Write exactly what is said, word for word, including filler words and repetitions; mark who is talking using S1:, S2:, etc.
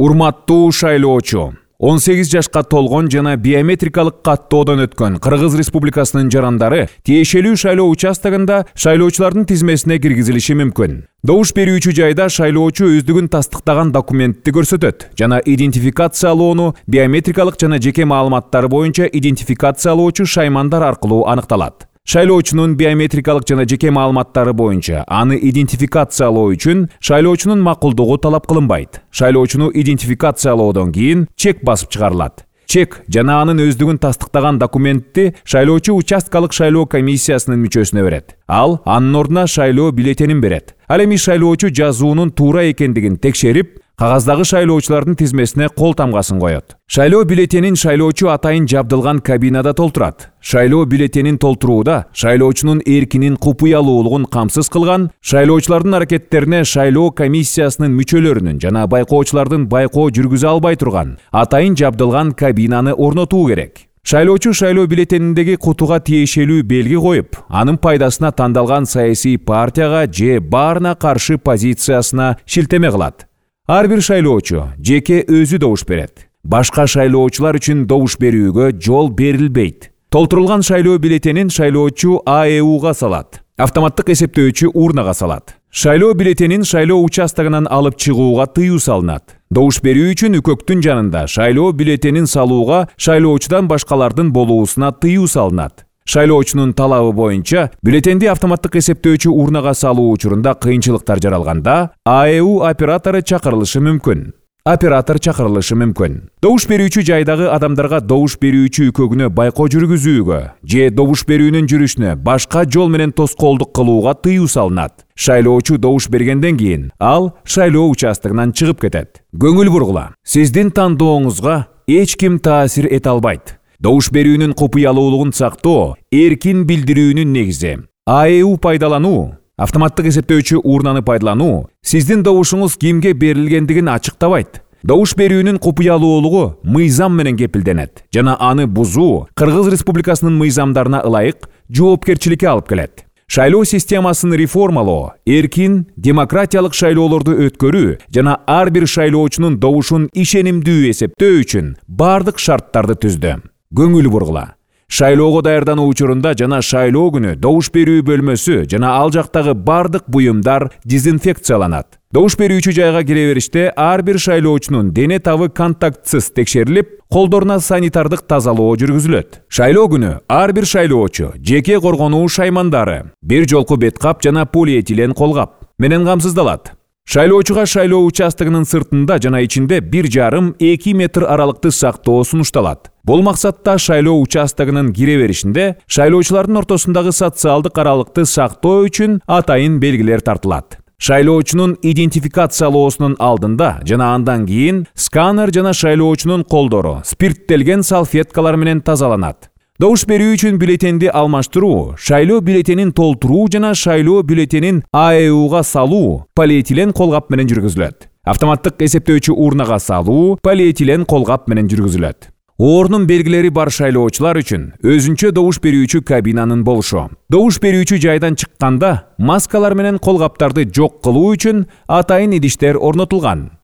S1: Урматтуу шайлоочу, он сегиз жашка толгон жана биометрикалык каттоодон өткөн Кыргыз Республикасынын жарандары тиешелүү шайлоо участогунда шайлоочулардын тизмесине киргизилиши мүмкүн. Добуш берүүчү жайда шайлоочу өздүгүн тастыктаган документти көрсөтөт жана идентификациялоону биометрикалык жана жеке маалыматтары боюнча идентификациялоочу шаймандар аркылуу аныкталат. Шайлоочунун биометрикалык жана жеке маалыматтары боюнча аны идентификациялоо үчүн шайлоочунун макулдугу талап кылынбайт. Шайлоочуну идентификациялоодон кийин чек басып чыгарылат. Чек жана анын өздүгүн тастыктаган документти шайлоочу участкалык шайлоо комиссиясынын мүчөсүнө берет. Ал анын ордуна шайлоо бюллетенин берет. Ал эми шайлоочу жазуунун туура экендигин текшерип, кагаздагы шайлоочулардын тизмесине кол тамгасын коет. Шайлоо бюллетенин шайлоочу атайын жабдылган кабинада толтурат. Шайлоо бюллетенин толтурууда шайлоочунун эркинин купуялуулугун камсыз кылган, шайлоочулардын аракеттерине шайлоо комиссиясынын мүчөлөрүнүн жана байкоочулардын байкоо жүргүзө албай турган атайын жабдылган кабинаны орнотуу керек. Шайлоочу шайлоо бюллетениндеги кутуга тиешелүү белги коюп, анын пайдасына тандалган саясий партияга же баарына каршы позициясына шилтеме кылат. Ар бир шайлоочу жеке өзү добуш берет. Башка шайлоочулар үчүн добуш берүүгө жол берилбейт. Толтурулган шайлоо бюллетенин шайлоочу А Э Уга салат. Автоматтык эсептөөчү урнага салат. Шайлоо бюллетенин шайлоо участогунан алып чыгууга тыюу салынат. Добуш берүү үчүн үкөктүн жанында шайлоо бюллетенин салууга шайлоочудан башкалардын болуусуна тыюу салынат. Шайлоочунун талабы боюнча бюллетенди автоматтык эсептөөчү урнага салуу учурунда кыйынчылыктар жаралганда А Э У оператору чакырылышы мүмкүн. Оператор чакырылышы мүмкүн. Добуш берүүчү жайдагы адамдарга добуш берүүчү үкөгүнө байкоо жүргүзүүгө же добуш берүүнүн жүрүшүнө башка жол менен тоскоолдук кылууга тыюу салынат. Шайлоочу добуш бергенден кийин ал шайлоо участогунан чыгып кетет. Көңүл бургула, сиздин тандооңузга эч ким таасир эте албайт. Добуш берүүнүн купуялуулугун сактоо эркин билдирүүнүн негизи. А Э У пайдалануу, автоматтык эсептөөчү урнаны пайдалануу сиздин добушуңуз кимге берилгендигин ачыктабайт. Добуш берүүнүн купуялуулугу мыйзам менен кепилденет жана аны бузуу Кыргыз Республикасынын мыйзамдарына ылайык жоопкерчиликке алып келет. Шайлоо системасын реформалоо, эркин, демократиялык шайлоолорду өткөрүү жана ар бир шайлоочунун добушун ишенимдүү эсептөө үчүн бардык шарттарды түздү. Көңүл бургула, шайлоого даярдануу учурунда жана шайлоо күнү добуш берүү бөлмөсү жана ал жактагы бардык буюмдар дезинфекцияланат. Добуш берүүчү жайга кире бериште ар бир шайлоочунун дене табы контактсыз текшерилип, колдоруна санитардык тазалоо жүргүзүлөт. Шайлоо күнү ар бир шайлоочу жеке коргонуу шаймандары, бир жолку бет кап жана полиэтилен колгап менен камсыздалат. Шайлоочуга шайлоо участогунун сыртында жана ичинде бир жарым эки метр аралыкты сактоо сунушталат. Бул максатта шайлоо участогунун кире беришинде шайлоочулардын ортосундагы социалдык аралыкты сактоо үчүн атайын белгилер тартылат. Шайлоочунун идентификациялоосунун алдында жана андан кийин сканер жана шайлоочунун колдору спирттелген салфеткалар менен тазаланат. Добуш берүү үчүн бюллетенди алмаштыруу, шайлоо бюллетенин толтуруу жана шайлоо бюллетенин А Э Уга салуу полиэтилен колгап менен жүргүзүлөт. Автоматтык эсептөөчү урнага салуу полиэтилен колгап менен жүргүзүлөт. Орнун белгилери бар шайлоочулар үчүн өзүнчө добуш берүүчү кабинанын болушу. Добуш берүүчү жайдан чыкканда маскалар менен колгаптарды жок кылуу үчүн атайын идиштер орнотулган.